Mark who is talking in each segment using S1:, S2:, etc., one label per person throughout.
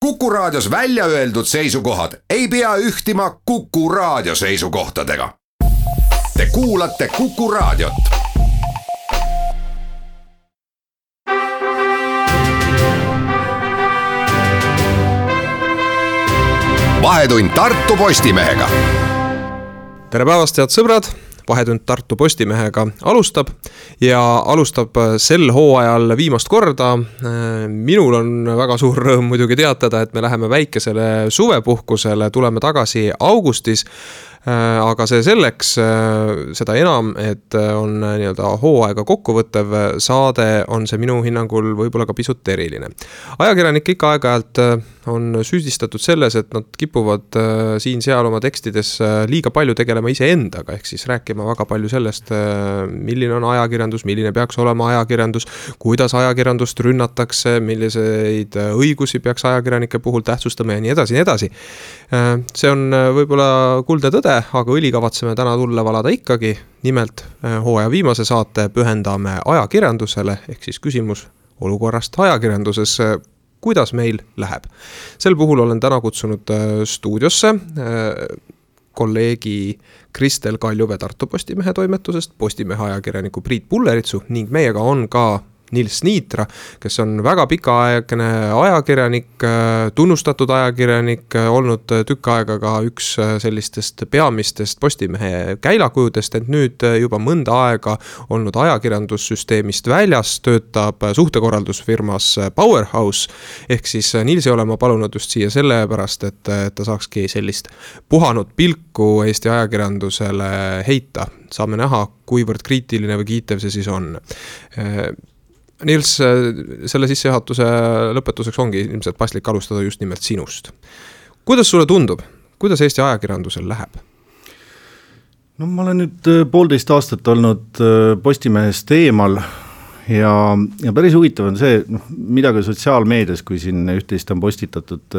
S1: Kuku Raadios välja öeldud seisukohad ei pea ühtima Kuku Raadio seisukohtadega. Te kuulate Kuku Raadiot. Vahetund Tartu Postimehega.
S2: Tere päevast, head sõbrad! Vahetund Tartu Postimehega alustab ja alustab sel hooajal viimast korda. Minul on väga suur rõõm muidugi teatada, et me läheme väikesele suvepuhkusele, tuleme tagasi augustis. Aga see selleks, seda enam, et on nii-öelda hooaega kokkuvõttev saade, on see minu hinnangul võib-olla ka pisut eriline. Ajakirjanik ikka aeg-ajalt on süüdistatud selles, et nad kipuvad siin-seal oma tekstides liiga palju tegelema iseendaga, ehk siis rääkima väga palju sellest, milline on ajakirjandus, milline peaks olema ajakirjandus, kuidas ajakirjandust rünnatakse, milliseid õigusi peaks ajakirjanike puhul tähtsustama ja nii edasi, nii edasi. See on võib-olla kuldne tõde, aga õli kavatseme täna tulla valada ikkagi. Nimelt hooaja viimase saate pühendame ajakirjandusele, ehk siis küsimus olukorrast ajakirjanduses, kuidas meil läheb. Sel puhul olen täna kutsunud stuudiosse kolleegi Kristel Kaljuvee Tartu Postimehe toimetusest, Postimehe ajakirjaniku Priit Pulleritsu ning meiega on ka Nils Niitra, kes on väga pikaaegne ajakirjanik, tunnustatud ajakirjanik, olnud tükk aega ka üks sellistest peamistest Postimehe käilakujudest, et nüüd juba mõnda aega olnud ajakirjandussüsteemist väljas, töötab suhtekorraldusfirmas Powerhouse, ehk siis Nils ei ole ma palunud just siia selle pärast, et ta saakski sellist puhanud pilku Eesti ajakirjandusele heita. Saame näha, kuivõrd kriitiline või kiitev see siis on. Nils, selle sissejuhatuse lõpetuseks ongi ilmselt paslik alustada just nimelt sinust. Kuidas sulle tundub? Kuidas Eesti ajakirjandusel läheb?
S3: No ma olen nüüd 1,5 aastat olnud Postimehest eemal ja päris huvitav on see, mida ka sotsiaalmeedias, kui siin üht-teist on postitatud,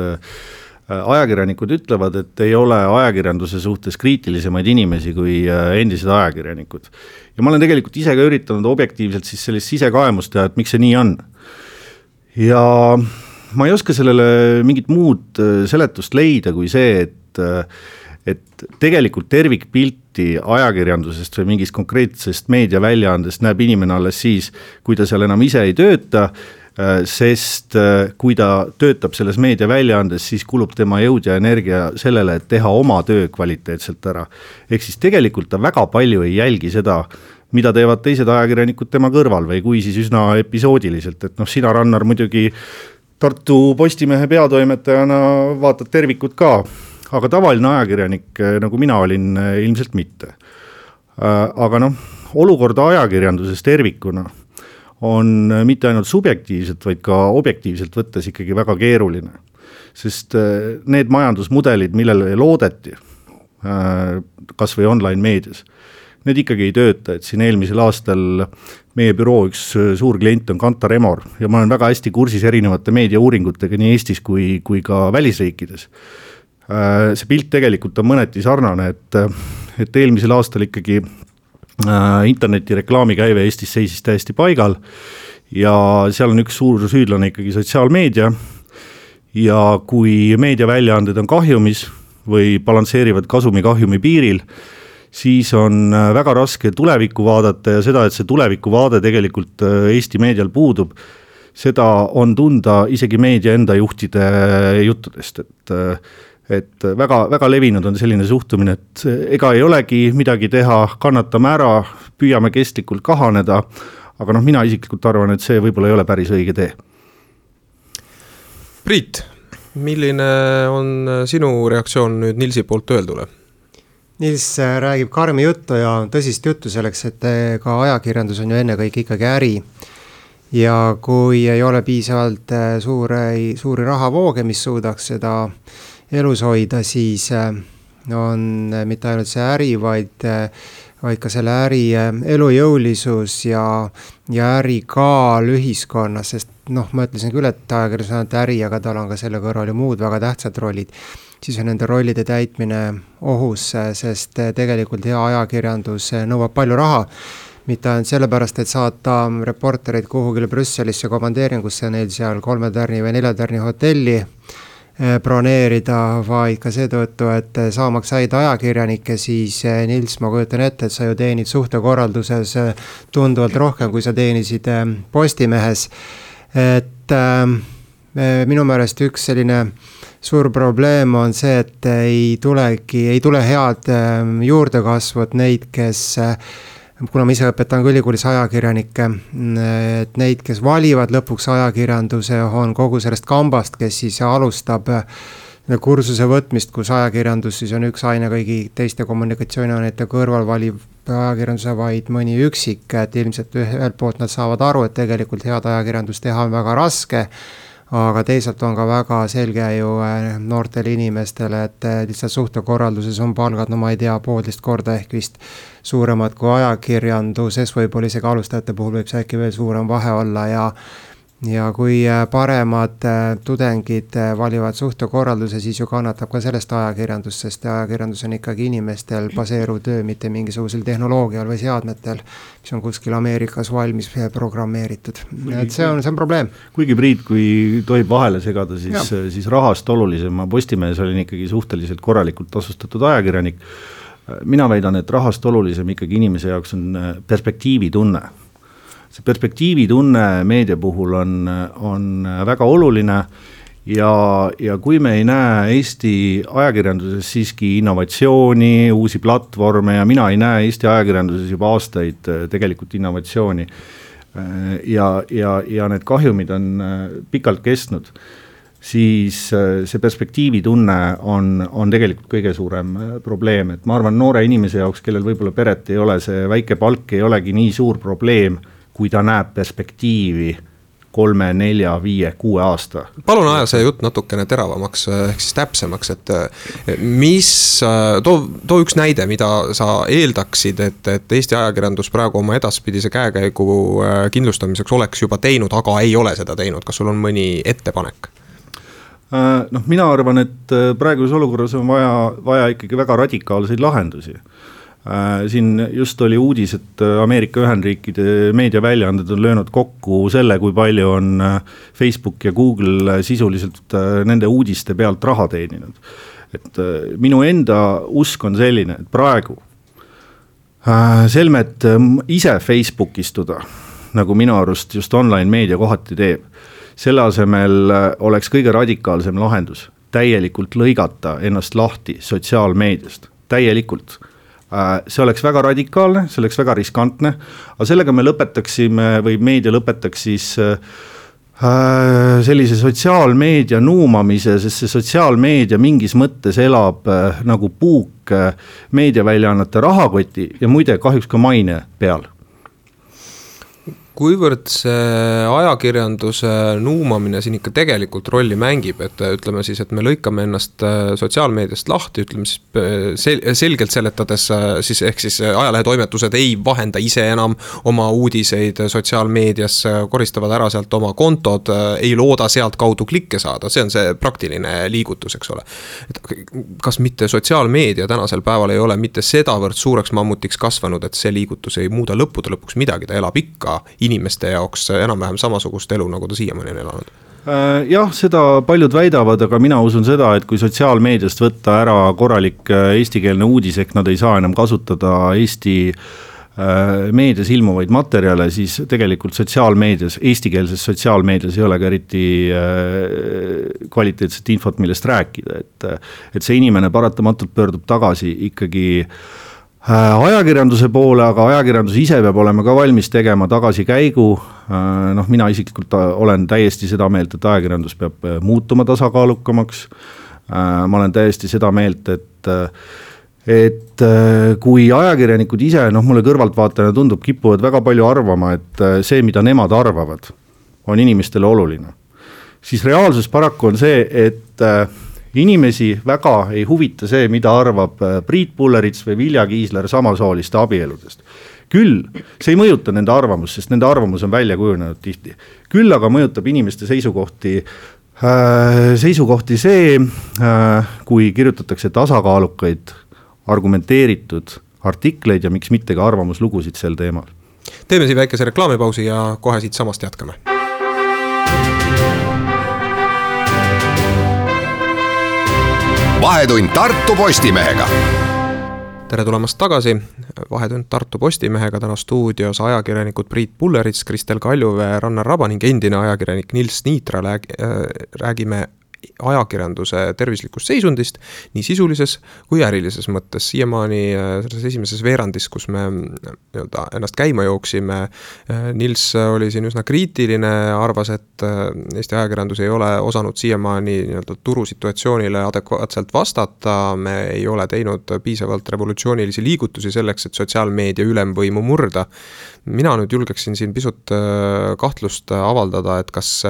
S3: ajakirjanikud ütlevad, et ei ole ajakirjanduse suhtes kriitilisemaid inimesi kui endised ajakirjanikud. Ja ma olen tegelikult ise ka üritanud objektiivselt siis sellist sisekaemust teha, et miks see nii on. Ja ma ei oska sellele mingit muud seletust leida kui see, et tegelikult tervikpilti ajakirjandusest või mingist konkreetsest meediaväljaandest näeb inimene alles siis, kui ta seal enam ise ei tööta, sest kui ta töötab selles meediaväljaandes, siis kulub tema jõud ja energia sellele, et teha oma töö kvaliteetselt ära. Ehk siis tegelikult ta väga palju ei jälgi seda, mida teevad teised ajakirjanikud tema kõrval või kui siis üsna episoodiliselt, et sina, Rannar, muidugi Tartu Postimehe peatoimetajana vaatad tervikut ka, aga tavaline ajakirjanik, nagu mina olin, ilmselt mitte. Aga olukorda ajakirjanduses tervikuna on mitte ainult subjektiivselt, vaid ka objektiivselt võttes ikkagi väga keeruline. Sest need majandusmudelid, millele loodeti, kas või online meedias, need ikkagi ei tööta, et siin eelmisel aastal meie büroo üks suur klient on Kantar Emor ja ma olen väga hästi kursis erinevate meediauuringutega nii Eestis kui ka välisriikides. See pilt tegelikult on mõneti sarnane, et eelmisel aastal ikkagi interneti reklaamikäive Eestis seisis täiesti paigal ja seal on üks suur süüdlane ikkagi sotsiaalmeedia ja kui meediaväljaanded on kahjumis või balansseerivad kasumi-kahjumi piiril, siis on väga raske tulevikku vaadata ja seda, et see tuleviku vaade tegelikult Eesti meedial puudub, seda on tunda isegi meedia enda juhtide juttudest, et väga, väga levinud on selline suhtumine, et ega ei olegi midagi teha, kannatame ära, püüame kestlikult kahaneda, aga mina isiklikult arvan, et see võib-olla ei ole päris õige tee.
S2: Priit, milline on sinu reaktsioon nüüd Nilsi poolt öeldule?
S4: Nils räägib karmi juttu ja tõsist juttu selleks, et ka ajakirjandus on ju ennekõike ikkagi äri. Ja kui ei ole piisavalt suuri rahavooge, mis suudaks seda elus hoida, siis on mitte ainult see äri, vaid ka selle äri elujõulisus ja äri kaal ühiskonnas, sest ma ütlesin küll, et ajakirjandus on äri, aga tal on ka selle kõrval ju muud väga tähtsad rollid. Siis on nende rollide täitmine ohus, sest tegelikult hea ajakirjandus nõuab palju raha. Mitte ainult sellepärast, et saata reporterid kuhugile Brüsselisse komandeeringusse neil seal 3 tärni või 4 tärni hotelli, broneerida, vaid ka seetõttu, et saamaks häid ajakirjanikke, siis Nils, ma kujutan ette, et sa ju teenid suhtekorralduses tunduvalt rohkem, kui sa teenisid Postimehes. Et minu meelest üks selline suur probleem on see, et ei tule head juurdekasvu, et neid, kes kuna ma ise õpetan ülikoolis ajakirjanikke, et neid, kes valivad lõpuks ajakirjanduse, on kogu sellest kambast, kes siis alustab kursuse võtmist, kus ajakirjandus siis on üks aine kõigi teiste kommunikatsiooniainete kõrval, valib ajakirjanduse vaid mõni üksik, et ilmselt ühelt poolt nad saavad aru, et tegelikult head ajakirjandust teha on väga raske, aga teisalt on ka väga selge ju noortele inimestele, et lihtsalt suhtekorralduses on palgad, no ma ei tea, 1,5 korda ehk vist suuremad kui ajakirjanduses, võib-olla isegi alustajate puhul võib see äkki veel suurem vahe olla ja kui paremad tudengid valivad suhtekorralduse, siis ju kannatab ka sellest ajakirjandus, sest ajakirjandus on ikkagi inimestel baseeruv töö, mitte mingisugusel tehnoloogial või seadmetel, mis on kuskil Ameerikas valmis programmeeritud. Et see on probleem.
S3: Kuigi Priit, kui tohib vahele segada, siis rahast olulisem. Ma Postimehes olin ikkagi suhteliselt korralikult tasustatud ajakirjanik. Mina väidan, et rahast olulisem ikkagi inimese jaoks on perspektiivitunne. See perspektiivitunne meedia puhul on väga oluline ja kui me ei näe Eesti ajakirjanduses siiski innovatsiooni, uusi platvorme ja mina ei näe Eesti ajakirjanduses juba aastaid tegelikult innovatsiooni ja need kahjumid on pikalt kestnud, siis see perspektiivitunne on tegelikult kõige suurem probleem, et ma arvan, noore inimese jaoks, kellel võib-olla peret ei ole, see väike palk ei olegi nii suur probleem, kui ta näeb perspektiivi 3, 4, 5, 6 aasta.
S2: Palun aja see jutt natukene teravamaks, ehk siis täpsemaks, et too üks näide, mida sa eeldaksid, et Eesti ajakirjandus praegu oma edaspidise käekäigu kindlustamiseks oleks juba teinud, aga ei ole seda teinud. Kas sul on mõni ettepanek?
S3: Mina arvan, et praeguses olukorras on vaja ikkagi väga radikaalseid lahendusi. Siin just oli uudis, et Ameerika Ühendriikide meediaväljaanded on löönud kokku selle, kui palju on Facebook ja Google sisuliselt nende uudiste pealt raha teeninud. Et minu enda usk on selline, et praegu selmet ise Facebook istuda, nagu minu arust just online meedia kohati teeb, selle asemel oleks kõige radikaalsem lahendus täielikult lõigata ennast lahti sotsiaalmeediast, täielikult. See oleks väga radikaalne, see oleks väga riskantne, aga sellega me lõpetaksime või meedia lõpetaks siis sellise sotsiaalmeedia nuumamise, sest see sotsiaalmeedia mingis mõttes elab nagu puuk meediaväljaannete rahakoti ja muide kahjuks ka maine peal.
S2: Kuivõrd see ajakirjanduse nuumamine siin ikka tegelikult rolli mängib, et ütleme siis, et me lõikame ennast sotsiaalmeediast lahti, ütleme siis selgelt seletades, siis ehk siis ajalehetoimetused ei vahenda ise enam oma uudiseid sotsiaalmeedias, koristavad ära sealt oma kontod, ei looda sealt kaudu klikke saada, see on see praktiline liigutus, eks ole. Et kas mitte sotsiaalmeedia tänasel päeval ei ole mitte sedavõrd suureks mammutiks kasvanud, et see liigutus ei muuda lõppude lõpuks midagi, ta elab ikka inimeste jaoks enam-vähem samasugust elu, nagu ta siiamaani on elanud?
S3: Jah, seda paljud väidavad, aga mina usun seda, et kui sotsiaalmeediast võtta ära korralik eestikeelne uudis, ehk nad ei saa enam kasutada Eesti meedias ilmuvaid materjale, siis tegelikult sotsiaalmeedias, eestikeelses sotsiaalmeedias ei ole ka eriti kvaliteetset infot, millest rääkida, et see inimene paratamatult pöördub tagasi ikkagi ajakirjanduse poole, aga ajakirjandus ise peab olema ka valmis tegema tagasikäigu. Mina isiklikult olen täiesti seda meelt, et ajakirjandus peab muutuma tasakaalukamaks. Ma olen täiesti seda meelt, et kui ajakirjanikud ise, mulle kõrvaltvaatajana tundub, kipuvad väga palju arvama, et see, mida nemad arvavad, on inimestele oluline. Siis reaalsus paraku on see, et inimesi väga ei huvita see, mida arvab Priit Pullerits või Vilja Kiisler samasooliste abieludest. Küll, see ei mõjuta nende arvamus, sest nende arvamus on välja kujunenud tihti. Küll aga mõjutab inimeste seisukohti see, kui kirjutatakse tasakaalukaid, argumenteeritud artikleid ja miks mitte ka arvamuslugusid sel teemal.
S2: Teeme siin väikese reklaamipausi ja kohe siit samast jätkame.
S1: Vahetund Tartu Postimehega.
S2: Tere tulemast tagasi, Vahetund Tartu Postimehega, täna stuudios ajakirjanikud Priit Pullerits, Kristel Kaljuvee, Rannar Raba ning endine ajakirjanik Nils Niitra. Räägime ajakirjanduse tervislikust seisundist nii sisulises kui ärilises mõttes. Siiamaani selles esimeses veerandis, kus me ennast käima jooksime, Nils oli siin üsna kriitiline, arvas, et Eesti ajakirjandus ei ole osanud siiamaani turusituatsioonile adekvaatselt vastata, me ei ole teinud piisavalt revolutsioonilisi liigutusi selleks, et sotsiaalmeedia ülemvõimu murda. Mina nüüd julgeksin siin pisut kahtlust avaldada, et kas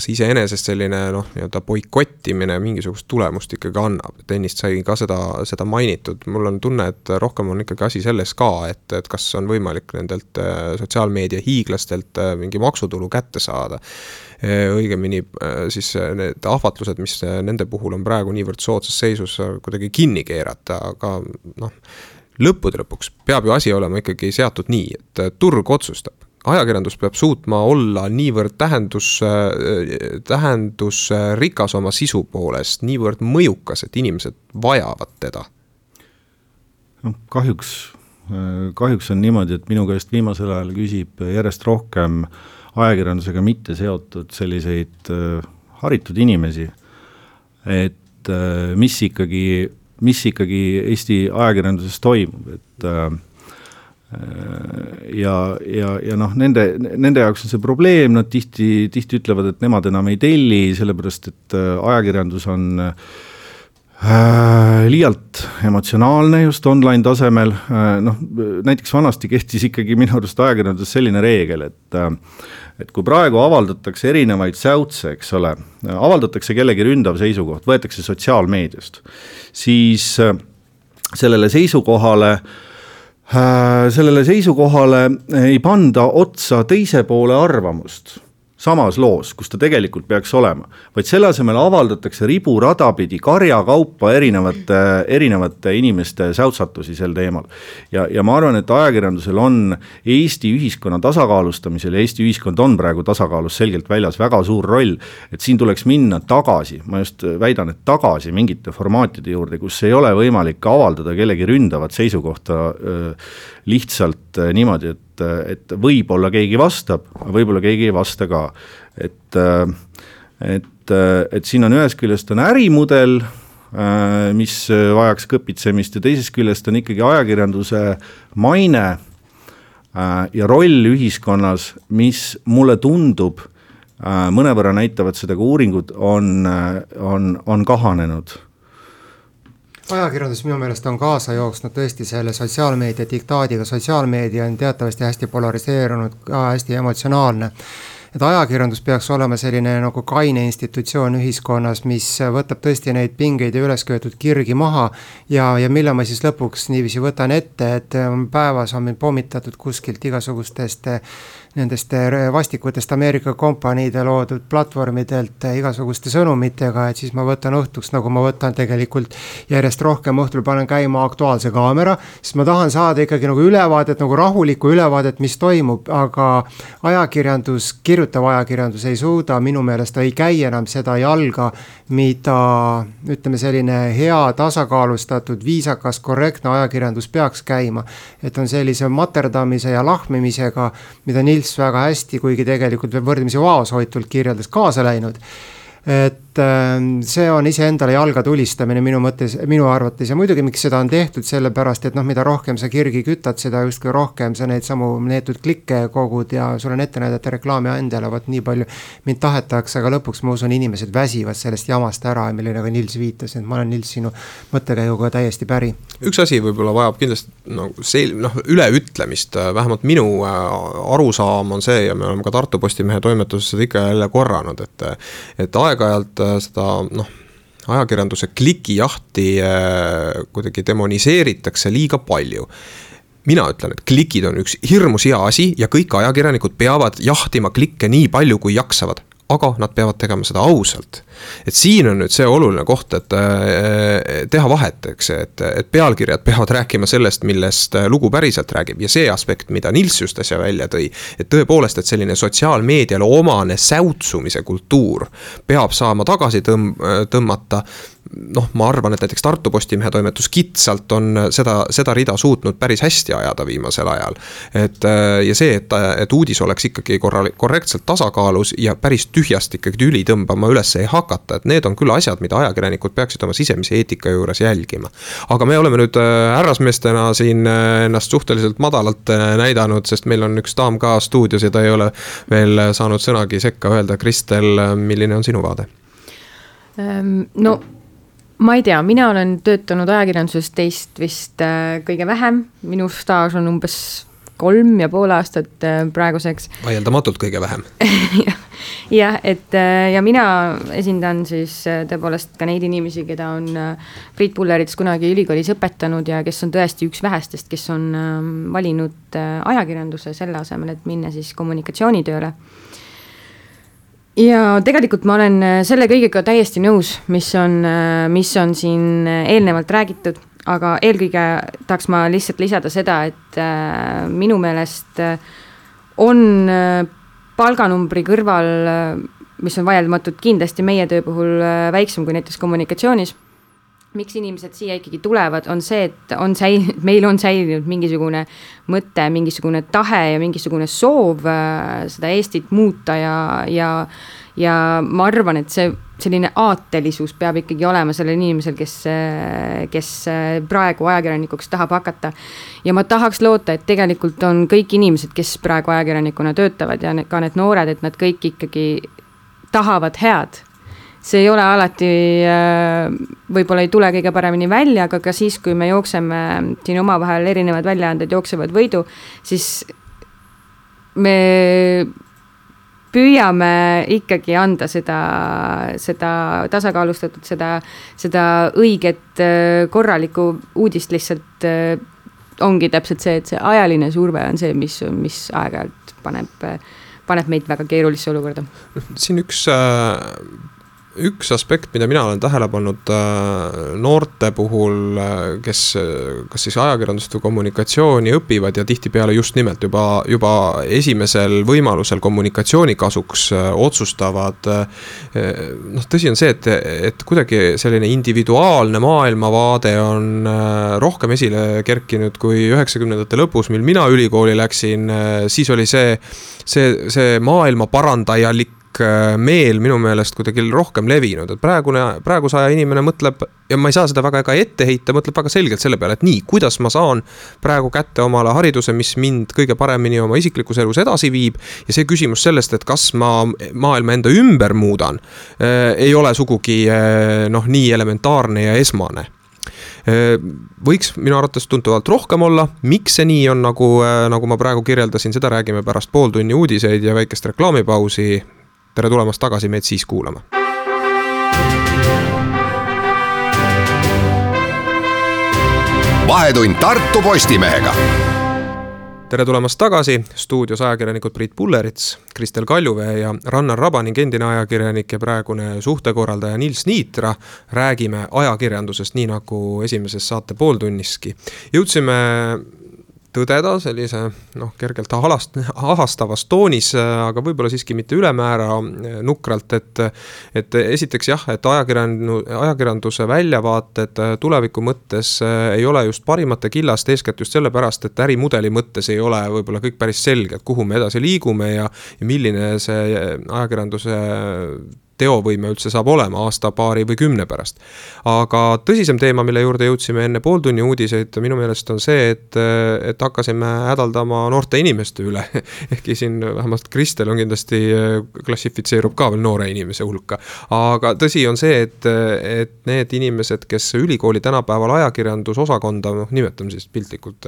S2: iseenesest selline boikottimine mingisugust tulemust ikkagi annab. Ennist sai ka seda mainitud. Mul on tunne, et rohkem on ikkagi asi selles ka, et kas on võimalik nendelt sotsiaalmeedia hiiglastelt mingi maksutulu kätte saada. Õigemini siis need ahvatlused, mis nende puhul on praegu niivõrd soodsas seisus, kuidagi kinni keerata, aga lõppude lõpuks peab ju asi olema ikkagi seatud nii, et turg otsustab. Ajakirjandus peab suutma olla niivõrd tähendusrikas oma sisu poolest, niivõrd mõjukas, et inimesed vajavad teda.
S3: Kahjuks on niimoodi, et minu käest viimasel ajal küsib järjest rohkem ajakirjandusega mitte seotud selliseid haritud inimesi, et mis ikkagi Eesti ajakirjanduses toimub, et nende jaoks on see probleem, nad tihti ütlevad, et nemad enam ei telli, sellepärast et ajakirjandus on liialt emotsionaalne just online tasemel. Näiteks vanasti kehtis ikkagi minu arust ajakirjandus selline reegel, et kui praegu avaldatakse erinevaid säutse, eks ole, avaldatakse kellegi ründav seisukoht, võetakse sotsiaalmeediast, siis sellele seisukohale ei panda otsa teise poole arvamust samas loos, kus ta tegelikult peaks olema, vaid selle asemel avaldatakse riburadapidi karjakaupa erinevate inimeste säutsatusi sel teemal. Ja ma arvan, et ajakirjandusel on Eesti ühiskonna tasakaalustamisel, ja Eesti ühiskond on praegu tasakaalus selgelt väljas väga suur roll, et siin tuleks minna tagasi, ma just väidan, et tagasi mingite formaatide juurde, kus ei ole võimalik avaldada kellegi ründavat seisukohta lihtsalt niimoodi, et võib-olla keegi vastab, võib-olla keegi ei vasta ka. Et siin on ühes küljest on ärimudel, mis vajaks kõpitsemist, ja teisest küljest on ikkagi ajakirjanduse maine ja roll ühiskonnas, mis mulle tundub, mõnevõrra näitavad seda, kui uuringud on kahanenud.
S4: Ajakirjandus minu meelest on kaasa jooksnud tõesti selle sotsiaalmeedia diktaadiga. Sotsiaalmeedia on teatavasti hästi polariseerunud, hästi emotsionaalne. Et ajakirjandus peaks olema selline nagu kaine institutsioon ühiskonnas, mis võtab tõesti neid pingeid ja ülesköetud kirgi maha ja mille ma siis lõpuks niiviisi võtan ette, et päevas on meil pommitatud kuskilt igasugustest nendest vastikutest Ameerika kompaniide loodud platvormidelt igasuguste sõnumitega, et siis ma võtan õhtuks, nagu ma võtan tegelikult järjest rohkem õhtul panen käima Aktuaalse kaamera, siis ma tahan saada ikkagi nagu ülevaadet, nagu rahulikku ülevaadet, mis toimub, aga kirjutav ajakirjandus ei suuda, minu meelest ei käi enam seda jalga, mida ütleme selline hea, tasakaalustatud, viisakas, korrektne ajakirjandus peaks käima, et on sellise materdamise ja lahmimisega, mida Nils väga hästi, kuigi tegelikult võrdlemisi vaoshoitult kirjeldas, kaasa läinud. Et see on iseendale jalga tulistamine minu arvates ja muidugi miks seda on tehtud, sellepärast, et mida rohkem sa kirgi kütad, seda justkui rohkem sa neid samu neetud klikke kogud ja sul on ette näidata reklaami andjale, vaat nii palju mind tahetakse, aga lõpuks ma usun, inimesed väsivad sellest jamast ära, milline ka Nils viitas, et ma olen Nils sinu mõttekäiguga täiesti päri.
S2: Üks asi võib-olla vajab kindlasti üleütlemist, vähemalt minu arusaam on see ja me oleme ka Tartu Postimehe toimetuses seda ikka jälle korranud, et aeg-ajalt seda ajakirjanduse klikijahti kuidagi demoniseeritakse liiga palju. Mina ütlen, et klikid on üks hirmus hea asi ja kõik ajakirjanikud peavad jahtima klikke nii palju, kui jaksavad. Aga nad peavad tegema seda ausalt. Et siin on nüüd see oluline koht, et teha vahet, eks, et pealkirjad peavad rääkima sellest, millest lugu päriselt räägib ja see aspekt, mida Nils just äsja välja tõi, et tõepoolest, et selline sotsiaalmeediale omane säutsumise kultuur peab saama tagasi tõmmata. ma arvan, et näiteks Tartu Postimehe toimetus kitsalt on seda rida suutnud päris hästi ajada viimasel ajal. Ja see, et uudis oleks ikkagi korrektselt tasakaalus ja päris tühjast ikkagi tüli tõmbama üles ei hakata, et need on küll asjad, mida ajakirjanikud peaksid oma sisemise eetika juures jälgima. Aga me oleme nüüd härrasmeestena siin ennast suhteliselt madalalt näidanud, sest meil on üks daam ka stuudios ja ta ei ole veel saanud sõnagi sekka öelda. Kristel, milline on sinu vaade?
S5: No ma ei tea, mina olen töötanud ajakirjanduses teist vist kõige vähem, minu staaž on umbes 3,5 aastat praeguseks.
S2: Vaieldamatult kõige vähem.
S5: ja mina esindan siis tõepoolest ka neid inimesi, keda on Priit Pullerits kunagi ülikoolis õpetanud ja kes on tõesti üks vähestest, kes on valinud ajakirjanduse selle asemel, et minna siis kommunikatsioonitööle. Ja tegelikult ma olen selle kõigega täiesti nõus, mis on siin eelnevalt räägitud, aga eelkõige tahaks ma lihtsalt lisada seda, et minu meelest on palganumbri kõrval, mis on vaieldamatult kindlasti meie töö puhul väiksem kui näiteks kommunikatsioonis. Miks inimesed siia ikkagi tulevad, on see, et meil on säilinud mingisugune mõte, mingisugune tahe ja mingisugune soov seda Eestit muuta ja ma arvan, et see selline aatelisus peab ikkagi olema sellel inimesel, kes praegu ajakirjanikuks tahab hakata. Ja ma tahaks loota, et tegelikult on kõik inimesed, kes praegu ajakirjanikuna töötavad ja ka need noored, et nad kõik ikkagi tahavad head. See ei ole alati, võib-olla ei tule kõige paremini välja, aga ka siis, kui me jookseme siin oma vahel erinevad väljaanded jooksevad võidu, siis me püüame ikkagi anda seda tasakaalustatud, seda õiget korralikku uudist lihtsalt ongi täpselt see, et see ajaline surve on see, mis aeg-ajalt paneb meid väga keerulisse olukorda.
S2: Siin üks aspekt, mida mina olen tähele pannud noorte puhul, kes kas siis ajakirjandust või kommunikatsiooni õpivad ja tihtipeale just nimelt juba esimesel võimalusel kommunikatsiooni kasuks otsustavad. Tõsi on see, et kuidagi selline individuaalne maailmavaade on rohkem esile kerkinud kui 90ndate lõpus, mil mina ülikooli läksin, siis oli see maailma parandajalik meel minu meelest kuidagi rohkem levinud, et praeguse aja inimene mõtleb, ja ma ei saa seda väga ette heita, mõtleb väga selgelt selle peale, et nii, kuidas ma saan praegu kätte omale hariduse, mis mind kõige paremini oma isiklikus elus edasi viib, ja see küsimus sellest, et kas ma maailma enda ümber muudan, ei ole sugugi nii elementaarne ja esmane. Võiks minu arvates tuntuvalt rohkem olla, miks see nii on, nagu ma praegu kirjeldasin, seda räägime pärast pool tunni uudiseid ja väikest reklaamipausi. Tere tulemast tagasi meid siis kuulama.
S1: Vahetund Tartu Postimehega.
S2: Tere tulemast tagasi, stuudios ajakirjanikud Priit Pullerits, Kristel Kaljuvee ja Rannar Raba ning endine ajakirjanik ja praegune suhtekorraldaja Nils Niitra. Räägime ajakirjandusest nii nagu esimeses saate pooltunniski. Jõudsime tõdeda sellise kergelt ahastavas toonis, aga võib-olla siiski mitte ülemäära nukralt, et esiteks jah, et ajakirjanduse väljavaated tuleviku mõttes ei ole just parimate killast, eeskätt just sellepärast, et ärimudeli mõttes ei ole võib-olla kõik päris selge, et kuhu me edasi liigume ja milline see ajakirjanduse teovõime üldse saab olema aasta, paari või 10 pärast. Aga tõsisem teema, mille juurde jõudsime enne pooltunni uudiseid, minu meelest on see, et hakkasime hädaldama noorte inimeste üle. Ehkki siin vähemalt Kristel on kindlasti klassifitseerub ka veel noore inimese hulka. Aga tõsi on see, et need inimesed, kes ülikooli tänapäeval ajakirjandusosakonda, nimetame siis piltlikult,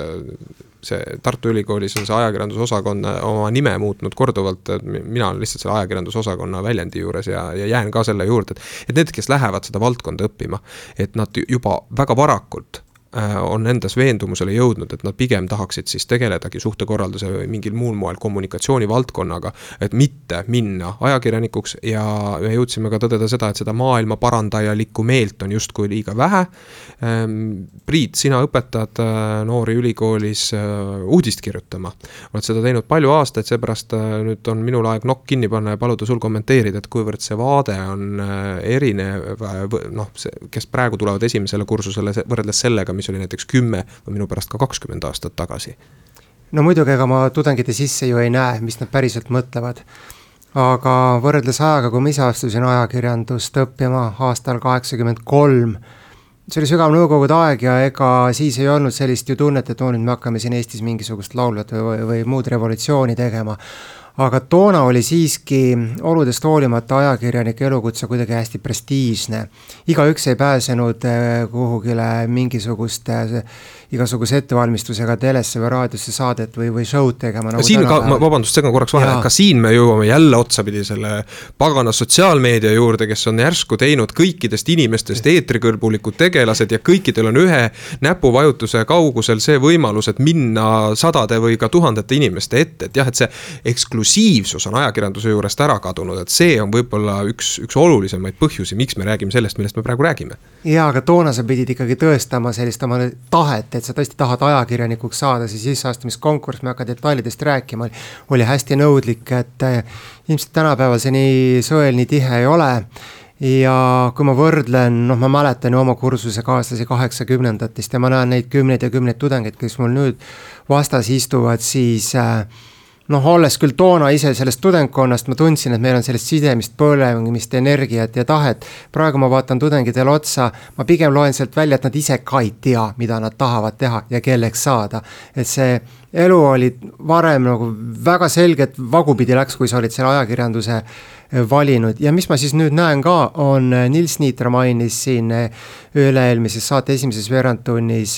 S2: see Tartu Ülikoolis on see ajakirjandusosakonna oma nime muutnud korduvalt, mina olen lihtsalt selle ajakirjandusosakonna väljendi juures ja jään ka selle juurde, et need, kes lähevad seda valdkonda õppima, et nad juba väga varakult on endas veendumusele jõudnud, et nad pigem tahaksid siis tegeledagi suhtekorralduse või mingil muul moel kommunikatsiooni valdkonnaga, et mitte minna ajakirjanikuks ja me jõudsime ka tõdeda seda, et seda maailma parandajalikku meelt on justkui liiga vähe. Priit, sina õpetad noori ülikoolis uudist kirjutama. Oled seda teinud palju aastaid, seepärast nüüd on minul aeg nokk kinni panna ja paluda sul kommenteerida, et kuivõrd see vaade on erinev, kes praegu tulevad esimesele kursusele võrreldes sellega, mis oli näiteks 10 või minu pärast ka 20 aastat tagasi.
S4: No muidugi, ega ma tudengite sisse ju ei näe, mis nad päriselt mõtlevad. Aga võrreldes ajaga, kui ma ise astusin ajakirjandust õppima aastal 83, see oli sügav nõukogude aeg ja ega siis ei olnud sellist ju tunnet, et nüüd me hakkame siin Eestis mingisugust laulvat või muud revolutsiooni tegema. Aga toona oli siiski oludest hoolimata ajakirjanike elukutse kuidagi hästi prestiižne. Igaüks ei pääsenud kuhugile igasuguse ettevalmistusega telesse või raadiosse saadet või show'd tegema. Nagu
S2: siin vabandust, segan korraks vahele, ka siin me jõuame jälle otsapidi selle pagana sotsiaalmeedia juurde, kes on järsku teinud kõikidest inimestest eetrikõlbulikud tegelased ja kõikidel on ühe näpuvajutuse kaugusel see võimalus, et minna sadade või ka tuhandete inimeste ette, et jah, et see eksklusiivsus on ajakirjanduse juurest ära kadunud, et see on võib-olla üks olulisemaid põhjusi, miks me räägime sellest, millest me praegu räägime.
S4: Jaa, aga toona sa pidid ikkagi tõestama sellist oma tahet, et sa tõesti tahad ajakirjanikuks saada, siis sisseastumiskonkurss, me hakka detailidest rääkima, oli hästi nõudlik, et ilmselt tänapäeval see nii sõel, nii tihe ei ole. Ja kui ma võrdlen, ma mäletan ju oma kursuse kaaslasi 80-ndatest ja ma näen neid kümneid ja kümneid tudengeid, kes mul nüüd vastas istuvad, siis olles küll toona ise sellest tudengkonnast, ma tundsin, et meil on sellest sidemist, põlemist, energiat ja tahet. Praegu ma vaatan tudengidele otsa, ma pigem loen sealt välja, et nad ise ka ei tea, mida nad tahavad teha ja kelleks saada. Et see elu oli varem nagu väga selgelt vagupidi läks, kui sa olid selle ajakirjanduse valinud. Ja mis ma siis nüüd näen ka, on Nils Niitra mainis siin üle-eelmises saate esimeses veerandtunnis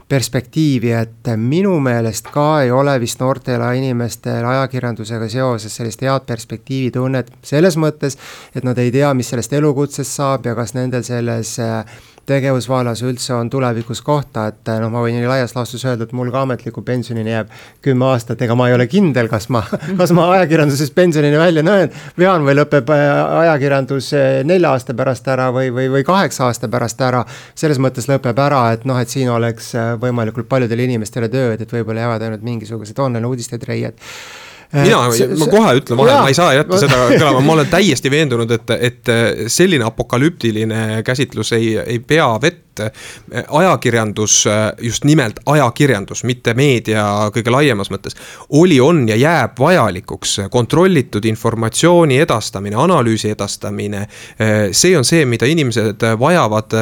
S4: perspektiivi, et minu meelest ka ei ole vist noortele inimestel ajakirjandusega seoses sellist head perspektiivi tunnet selles mõttes, et nad ei tea, mis sellest elukutsest saab ja kas nendel selles tegevusvallas üldse on tulevikus kohta, et ma võin laias laastus öelda, et mul ka ametliku pensionini jääb 10 aastat, ega ma ei ole kindel, kas ma ajakirjanduses pensionini välja vean või lõpeb ajakirjandus 4 aasta pärast ära või 8 aasta pärast ära. Selles mõttes lõpeb ära, et siin oleks võimalikult paljudele inimestele tööd, et võib-olla jäävad ainult mingisugused online uudisted reied.
S2: Ma kohe ütlen vahel, ma ei saa jätta seda kõlama, ma olen täiesti veendunud, et selline apokalüptiline käsitlus ei pea vett. Ajakirjandus, just nimelt ajakirjandus, mitte meedia kõige laiemas mõttes, on ja jääb vajalikuks kontrollitud informatsiooni edastamine, analüüsi edastamine. See on see, mida inimesed vajavad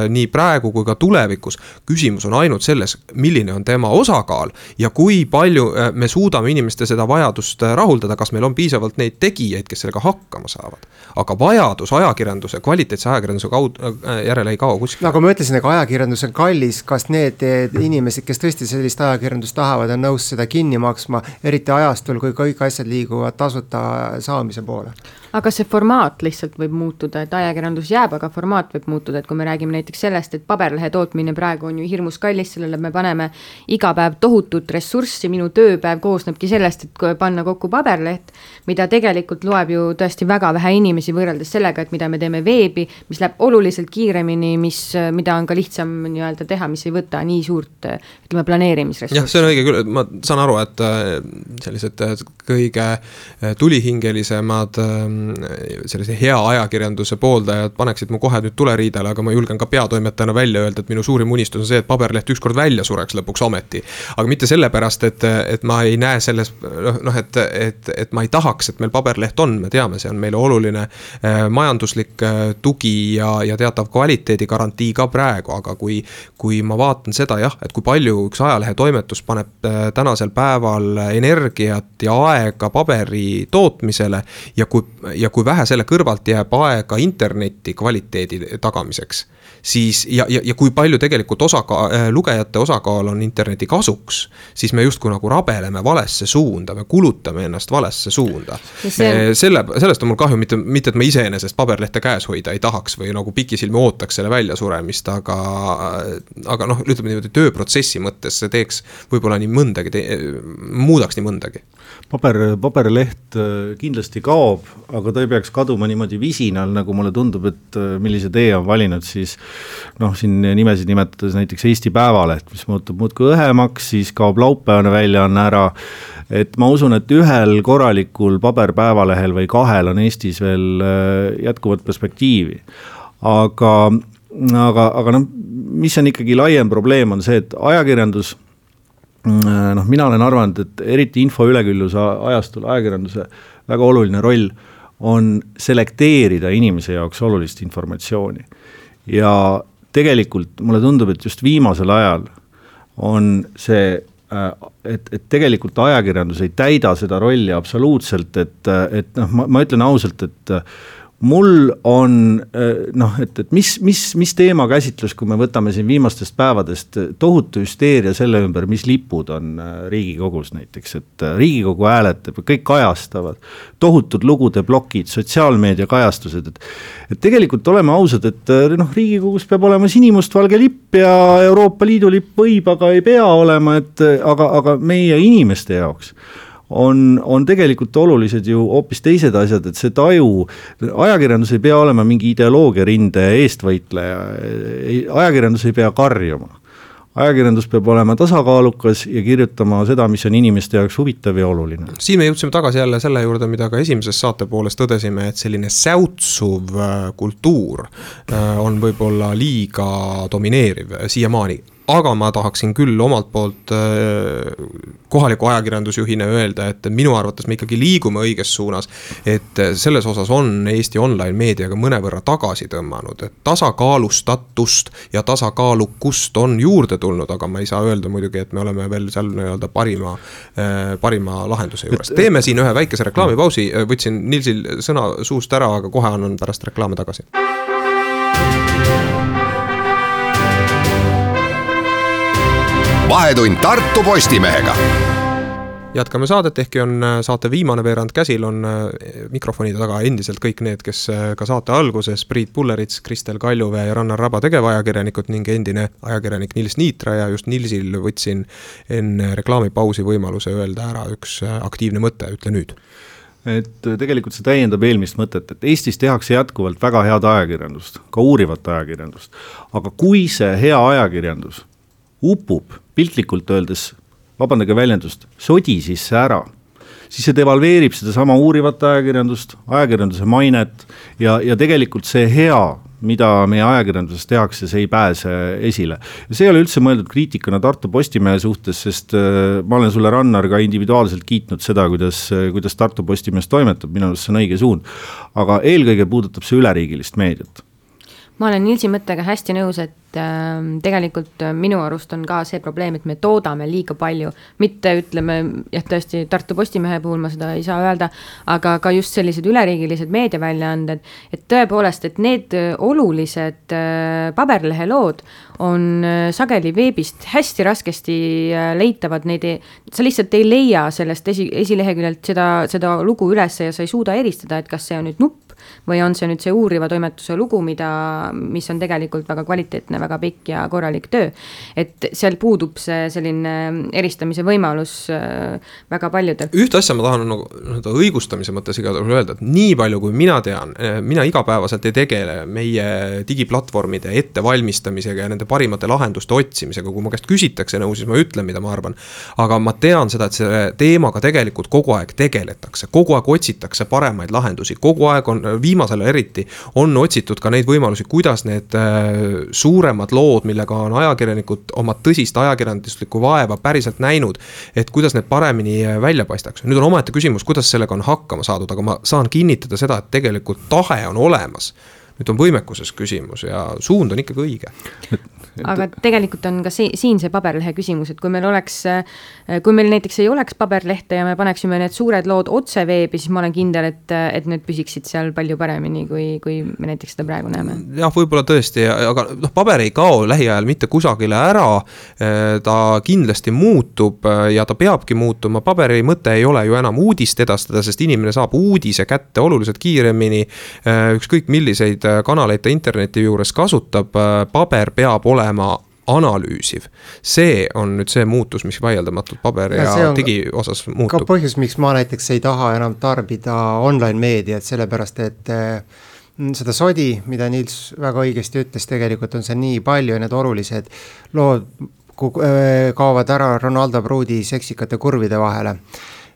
S2: nii praegu kui ka tulevikus. Küsimus on ainult selles, milline on tema osakaal ja kui palju me suudame inimeste seda vajadust rahuldada, kas meil on piisavalt neid tegijaid, kes sellega hakkama saavad. Aga vajadus ajakirjanduse, kvaliteetse ajakirjanduse järele ei kao kuskil.
S4: Nagu ma ütlesin, aga ajakirjandus on kallis, kas need inimesed, kes tõesti sellist ajakirjandust tahavad, on nõus seda kinni maksma, eriti ajastul, kui kõik asjad liiguvad tasuta saamise poole?
S5: Aga see formaat lihtsalt võib muutuda, et ajakirjandus jääb, aga formaat võib muutuda, et kui me räägime näiteks sellest, et paberlehe tootmine praegu on ju hirmus kallis, sellele me paneme iga päev tohutut ressurssi, minu tööpäev koosnebki sellest, et panna kokku paberleht, mida tegelikult loeb ju tõesti väga vähe inimesi võrreldes sellega, et mida me teeme veebi, mis läheb oluliselt kiiremini, mida on ka lihtsam nii-öelda teha, mis ei võta nii suurt planeerimisressurssi.
S2: Jah, see on õige küll, ma saan aru, et sellised kõige tulihingelisemad sellise hea ajakirjanduse pooldajad paneksid mu kohe nüüd tuleriidele, aga ma julgen ka peatoimetajana välja öelda, et minu suurim unistus on see, et paberleht ükskord välja sureks lõpuks ometi. Aga mitte sellepärast, et ma ei näe selles, et ma ei tahaks, et meil paberleht on, me teame, see on meile oluline majanduslik tugi ja teatav kvaliteedi garantii ka praegu, aga kui ma vaatan seda jah, et kui palju üks ajalehe toimetus paneb tänasel päeval energiat ja aega paberi tootmisele ja kui ja kui vähe selle kõrvalt jääb aega interneti kvaliteedi tagamiseks, siis ja kui palju tegelikult lugejate osakaal on interneti kasuks, siis me justkui nagu rabeleme valesse suunda, me kulutame ennast valesse suunda. Sellest on mul kahju, mitte et ma iseenesest paberlehte käes hoida ei tahaks või nagu pikisilmi ootaks selle väljasuremist, aga noh, ütleme niimoodi tööprotsessi mõttes see teeks võib-olla nii mõndagi, muudaks nii mõndagi.
S3: Paberleht kindlasti kaob, aga ta ei peaks kaduma niimoodi visinal, nagu mulle tundub, et millise tee on valinud, siis siin nimesid nimetades näiteks Eesti Päevaleht, mis muutub muudkui õhemaks, siis kaob laupäevane väljaanne ära, et ma usun, et ühel korralikul paberpäevalehel või kahel on Eestis veel jätkuvat perspektiivi. Aga mis on ikkagi laiem probleem on see, et ajakirjandus, mina olen arvanud, et eriti info ülekülluse ajastul ajakirjanduse väga oluline roll on selekteerida inimese jaoks olulist informatsiooni. Ja tegelikult mulle tundub, et just viimasel ajal on see, et tegelikult ajakirjandus ei täida seda rolli absoluutselt, et ma ütlen ausalt, et mul on, et mis teema käsitlus, kui me võtame siin viimastest päevadest tohutu hüsteeria selle ümber, mis lipud on Riigikogus näiteks, et Riigikogu hääletab, kõik kajastavad, tohutud lugude plokid, sotsiaalmeedia kajastused, et tegelikult oleme ausad, et Riigikogus peab olema sinimustvalge lipp ja Euroopa Liidu lipp võib, aga ei pea olema, aga meie inimeste jaoks on tegelikult olulised ju hoopis teised asjad, et see taju, ajakirjandus ei pea olema mingi ideoloogia rinde eestvõitleja, ajakirjandus ei pea karjuma. Ajakirjandus peab olema tasakaalukas ja kirjutama seda, mis on inimeste jaoks huvitav ja oluline.
S2: Siin me jõudsime tagasi jälle selle juurde, mida ka esimeses saate poolest tõdesime, et selline säutsuv kultuur on võib-olla liiga domineeriv siiamaani. Aga ma tahaksin küll omalt poolt kohaliku ajakirjandusjuhina öelda, et minu arvates me ikkagi liigume õiges suunas, et selles osas on Eesti online meediaga mõnevõrra tagasi tõmmanud, et tasakaalustatust ja tasakaalukust on juurde tulnud, aga ma ei saa öelda muidugi, et me oleme veel seal nii-öelda parima lahenduse juures. Teeme siin ühe väikese reklaamipausi, võtsin Nilsil sõna suust ära, aga kohe annan pärast reklaame tagasi.
S1: Vahetund Tartu Postimehega.
S2: Jätkame saadet, ehkki on saate viimane veerand käsil, on mikrofonide taga endiselt kõik need, kes ka saate alguses, Priit Pullerits, Kristel Kaljuvee ja Rannar Raba tegevajakirjanikud ning endine ajakirjanik Nils Niitra, ja just Nilsil võtsin enne reklaamipausi võimaluse öelda ära üks aktiivne mõte, ütle nüüd.
S3: Et tegelikult see täiendab eelmist mõtet, et Eestis tehakse jätkuvalt väga head ajakirjandust, ka uurivat ajakirjandust, aga kui see hea ajakirjandus upub piltlikult öeldes, vabandage väljendust, sodi sisse ära, siis see devalveerib seda sama uurivat ajakirjanduse mainet ja tegelikult see hea, mida meie ajakirjanduses tehakse, see ei pääse esile. Ja see ei ole üldse mõeldud kriitikana Tartu Postimehe suhtes, sest ma olen sulle, Rannar, ka individuaalselt kiitnud seda, kuidas Tartu Postimees toimetab, minu arust see on õige suund, aga eelkõige puudutab see üleriigilist meediat.
S5: Ma olen Nilsi mõttega hästi nõus, et tegelikult minu arust on ka see probleem, et me toodame liiga palju, mitte ütleme, tõesti Tartu Postimehe puhul ma seda ei saa öelda, aga ka just sellised üleriigilised meediaväljaanded, et tõepoolest, et need olulised paberlehelood on sageli veebist hästi raskesti leitavad, sa lihtsalt ei leia sellest esileheküljelt seda lugu üles ja sa ei suuda eristada, et kas see on nüüd nupp või on see nüüd see uuriva toimetuse lugu, mis on tegelikult väga kvaliteetne, väga pikk ja korralik töö. Et seal puudub see selline eristamise võimalus väga paljudel.
S2: Ühte asja ma tahan õigustamise mõttes igal juhul öelda, et nii palju kui mina tean, mina igapäevaselt ei tegele meie digiplatvormide ettevalmistamisega ja nende parimate lahenduste otsimisega, kui ma käest küsitakse nõu, siis ma ütlen, mida ma arvan. Aga ma tean seda, et selle teemaga tegelikult kogu aeg tegeletakse, kogu aeg otsitakse paremaid lahendusi, kogu aeg on viimasel eriti on otsitud ka neid võimalusi, kuidas need suuremad lood, millega on ajakirjanikud oma tõsist ajakirjanduslikku vaeva päriselt näinud, et kuidas need paremini välja paistaks. Nüüd on omaette küsimus, kuidas sellega on hakkama saadud, aga ma saan kinnitada seda, et tegelikult tahe on olemas. Nüüd on võimekuses küsimus ja suund on ikkagi õige.
S5: aga tegelikult on ka siin see paberlehe küsimus, et kui meil näiteks ei oleks paberlehte ja me paneksime need suured lood otse veebi, siis ma olen kindel, et need püsiksid seal palju paremini, kui me näiteks seda praegu näeme.
S2: Jah, võib-olla tõesti, aga paber ei kao lähiajal mitte kusagile ära, ta kindlasti muutub ja ta peabki muutuma, paberi mõte ei ole ju enam uudist edastada, sest inimene saab uudise kätte oluliselt kiiremini, ükskõik milliseid kanaleid ta interneti juures kasutab, paber peab olema analüüsiv. See on nüüd see muutus, mis vaieldamatult paber ja digi osas muutub.
S4: Ka põhjus, miks ma näiteks ei taha enam tarbida online meediat, sellepärast et seda sodi, mida Nils väga õigesti ütles, tegelikult on see nii palju ja need olulised lood kaovad ära Ronaldo Pruudi seksikate kurvide vahele.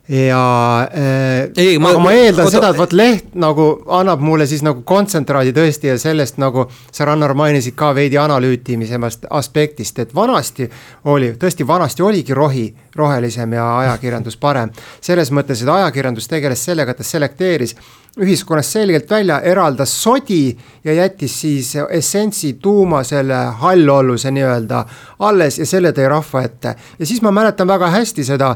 S4: Ja aga ma eeldan seda, et leht nagu annab mulle siis nagu kontsentraadi tõesti ja sellest nagu sa Rannar mainisid ka veidi analüütimisemast aspektist, et vanasti oligi rohelisem ja ajakirjandus parem. Selles mõttes, et ajakirjandus tegeles sellega, et ta selekteeris ühiskonnas selgelt välja, eraldas sodi ja jättis siis essentsi tuuma selle hallolluse nii-öelda alles ja selle tõi rahva ette. Ja siis ma mäletan väga hästi seda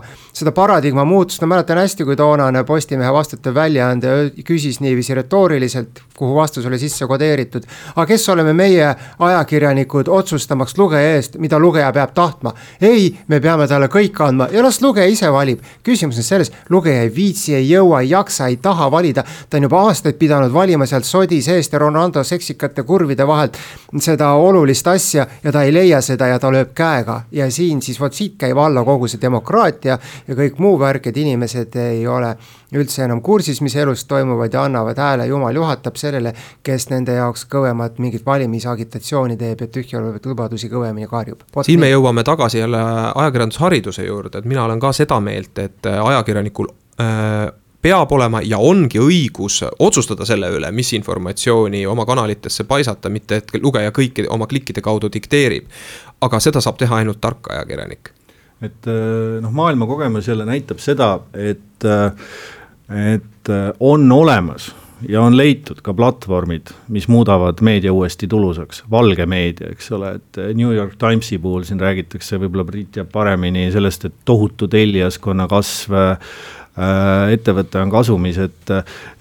S4: paradigma muutust, ma mäletan hästi, kui toonane Postimehe vastutav väljaande küsis niiviisi retooriliselt, kuhu vastus oli sisse kodeeritud. Aga kes oleme meie ajakirjanikud otsustamaks lugeja eest, mida lugeja peab tahtma? Ei, me peame talle kõik andma ja las lugeja ise valib. Küsimus on selles, lugeja ei viitsi, ei jõua, ei jaksa, ei taha valida. Ta on juba aastaid pidanud valima sealt sodi seest ja Ronaldo seksikate kurvide vahelt seda olulist asja ja ta ei leia seda ja ta lööb käega. Ja siin siis siit käib alla kogu see demokraatia ja kõik muu värk, et inimesed ei ole üldse enam kursis, mis elus toimuvad ja annavad hääle, jumal juhatab sellele, kes nende jaoks kõvemad mingit valimisagitatsiooni teeb ja tühjalevaid lubadusi kõvemini karjub.
S2: Siin me jõuame tagasi jälle ajakirjandushariduse juurde, et mina olen ka seda meelt, et ajakirjanikul peab olema ja ongi õigus otsustada selle üle, mis informatsiooni oma kanalitesse paisata, mitte et lugeja kõiki oma klikkide kaudu dikteerib. Aga seda saab teha ainult tark ajakirjanik.
S3: Et maailma kogemus jälle näitab seda, et on olemas ja on leitud ka platvormid, mis muudavad meedia uuesti tulusaks, valge meedia, eks ole, et New York Timesi puhul siin räägitakse, võib-olla Brit jääb paremini sellest, et tohutu tellijaskonna kasv, ettevõte on kasumis, et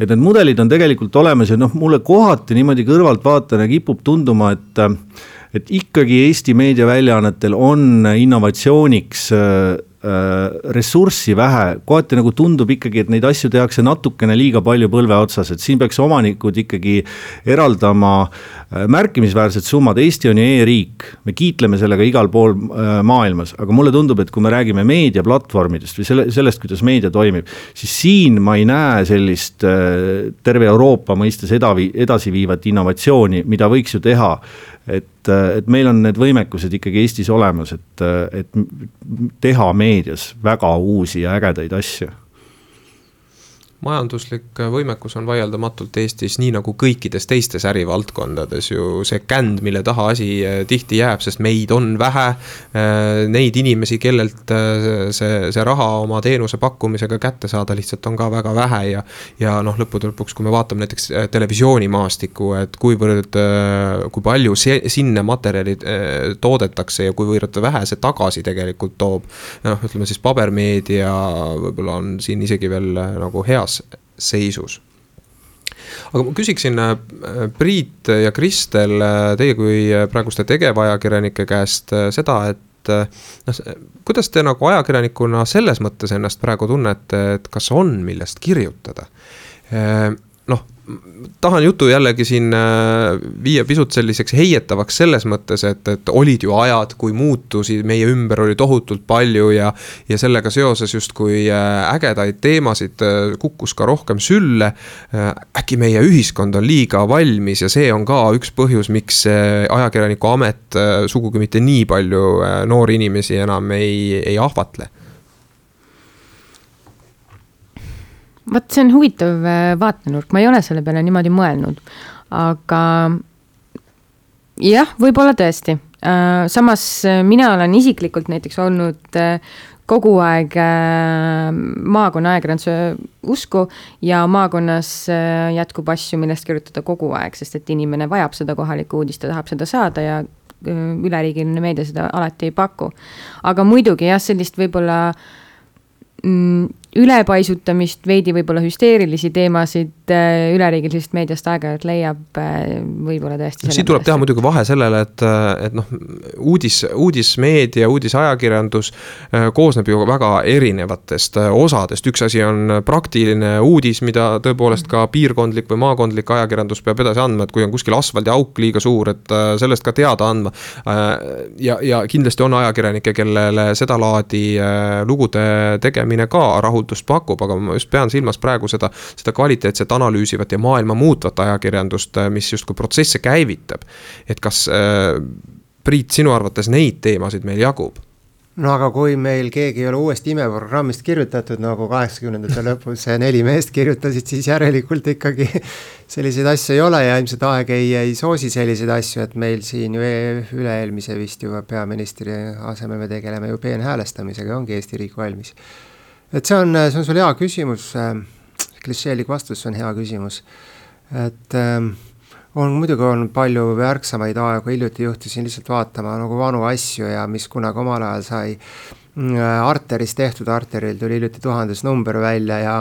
S3: need mudelid on tegelikult olemas ja mulle kohati niimoodi kõrvalt vaatana kipub tunduma, et ikkagi Eesti meediaväljaannetel on innovatsiooniks ressurssi vähe, kohati nagu tundub ikkagi, et neid asju tehakse natukene liiga palju põlve otsas, et siin peaks omanikud ikkagi eraldama märkimisväärsed summad. Eesti on ju e-riik, me kiitleme sellega igal pool maailmas, aga mulle tundub, et kui me räägime meediaplatvormidest või sellest, kuidas meedia toimib, siis siin ma ei näe sellist terve Euroopa mõistes edasiviivat innovatsiooni, mida võiks ju teha. Et meil on need võimekused ikkagi Eestis olemas, et teha meedias väga uusi ja ägedaid asju.
S2: Majanduslik võimekus on vaieldamatult Eestis nii nagu kõikides teistes ärivaldkondades ju see känd, mille taha asi tihti jääb, sest meid on vähe, neid inimesi, kellelt see raha oma teenuse pakkumisega kätte saada lihtsalt on ka väga vähe ja lõppude lõpuks, kui me vaatame näiteks televisioonimaastiku, et kui palju sinna materjalid toodetakse ja kuivõrd vähe see tagasi tegelikult toob, ütleme siis pabermeedia võib-olla on siin isegi veel nagu heas seisus. Aga ma küsiksin Priit ja Kristel, teie kui praeguste tegevajakirjanike käest seda, et kuidas te nagu ajakirjanikuna selles mõttes ennast praegu tunnete, et kas on millest kirjutada? Tahan jutu jällegi siin viia pisut selliseks heietavaks selles mõttes, et olid ju ajad, kui muutusi meie ümber oli tohutult palju ja sellega seoses just kui ägedaid teemasid kukkus ka rohkem sülle, äkki meie ühiskond on liiga valmis ja see on ka üks põhjus, miks ajakirjaniku amet sugugi mitte nii palju noori inimesi enam ei ahvatle.
S5: Vaat see on huvitav vaatenurk, ma ei ole selle peale niimoodi mõelnud, aga jah, võib-olla tõesti. Samas mina olen isiklikult näiteks olnud kogu aeg maakonna ajakirjanduse usku ja maakonnas jätkub asju, millest kirjutada kogu aeg, sest et inimene vajab seda kohalikku uudist, ta tahab seda saada ja üleriigiline meedia seda alati ei paku. Aga muidugi jah, sellist võib-olla ülepaisutamist, veidi võib-olla hüsteerilisi teemasid üleriigilisest meediast aeg-ajalt leiab võib-olla tõesti.
S2: Siin tuleb teha muidugi vahe sellele, et noh, uudismeedia, uudisajakirjandus koosneb ju väga erinevatest osadest. Üks asi on praktiline uudis, mida tõepoolest ka piirkondlik või maakondlik ajakirjandus peab edasi andma, et kui on kuskil asfaldi auk liiga suur, et sellest ka teada andma. Ja kindlasti on ajakirjanikke, kellele seda laadi lugude tegemine ka rahuldust pakub, aga ma just pean silmas praegu seda kvaliteetset analüüsivat ja maailma muutvat ajakirjandust, mis justkui protsesse käivitab. Et kas, Priit, sinu arvates neid teemasid meil jagub?
S4: No aga kui meil keegi ei ole uuest imeprogrammist kirjutatud, nagu 80ndate lõpus 4 meest kirjutasid, siis järelikult ikkagi selliseid asju ei ole ja ilmselt aeg ei soosi selliseid asju, et meil siin ju üle-eelmise vist juba peaministri asemel me tegeleme ju peenhäälestamisega, ongi Eesti riik valmis. Et see on sul hea küsimus, klišeelik vastus on hea küsimus, et muidugi on palju värksamaid aegu, hiljuti juhtisin lihtsalt vaatama nagu vanu asju ja mis kunagi omal ajal sai Arteris tehtud, Arteril tuli hiljuti 1000 number välja ja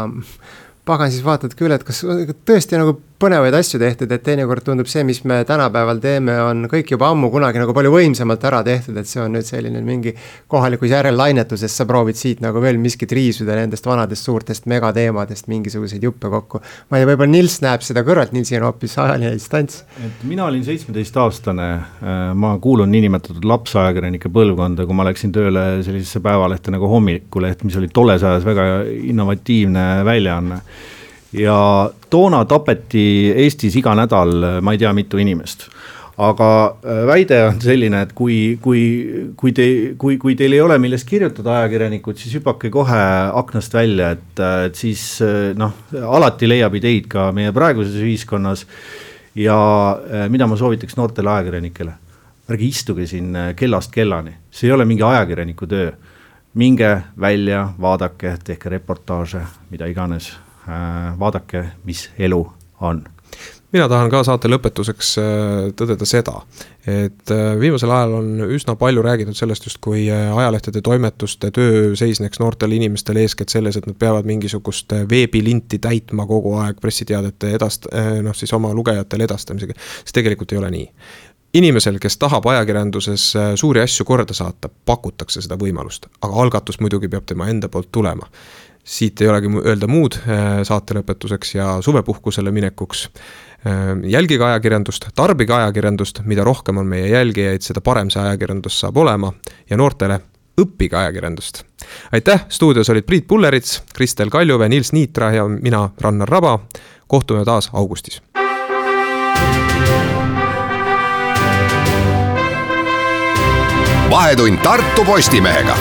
S4: pagan siis vaatad küll, et kas tõesti nagu põnevaid asju tehtud, et teinekord tundub see, mis me tänapäeval teeme, on kõik juba ammu kunagi nagu palju võimsamalt ära tehtud, et see on nüüd selline mingi kohalikus järellainetusest, sa proovid siit nagu veel miskit riisuda nendest vanadest suurtest megateemadest, mingisuguseid juppe kokku. Ma ei tea, võib-olla Nils näeb seda kõrvalt, Nilsi on hoopis ajaline distants.
S3: Et mina olin 17-aastane, ma kuulun niinimetatud lapsajakirjanike põlvkonda, kui ma läksin tööle sellisesse päevalehte nagu Hommikuleht, mis oli tolles ajas väga innovatiivne väljaanne. Ja toona tapeti Eestis iga nädal, ma ei tea mitu inimest. Aga väide on selline, et kui teil ei ole millest kirjutada ajakirjanikud, siis hüpake kohe aknast välja, et siis alati leiab ideid ka meie praeguses ühiskonnas ja mida ma soovitaks noortele ajakirjanikele. Ärge istuge siin kellast kellani, see ei ole mingi ajakirjaniku töö. Minge välja, vaadake, tehke reportaaže, mida iganes. Vaadake, mis elu on.
S2: Mina tahan ka saate lõpetuseks tõdeda seda, et viimasel ajal on üsna palju räägitud sellest just, kui ajalehtede toimetuste töö seisneks noortele inimestele eeskätt selles, et nad peavad mingisugust veebilinti täitma kogu aeg pressiteadete siis oma lugejatele edastamisega. See tegelikult ei ole nii. Inimesel, kes tahab ajakirjanduses suuri asju korda saata, pakutakse seda võimalust, aga algatus muidugi peab tema enda poolt tulema. Siit ei olegi öelda muud saate lõpetuseks ja suvepuhkusele minekuks. Jälgige ajakirjandust, tarbige ajakirjandust, mida rohkem on meie jälgijaid, seda parem see ajakirjandus saab olema ja noortele õppige ajakirjandust. Aitäh, stuudios olid Priit Pullerits, Kristel Kaljuve, Nils Niitra ja mina, Rannar Raba. Kohtume taas augustis.
S1: Vahetund Tartu Postimehega.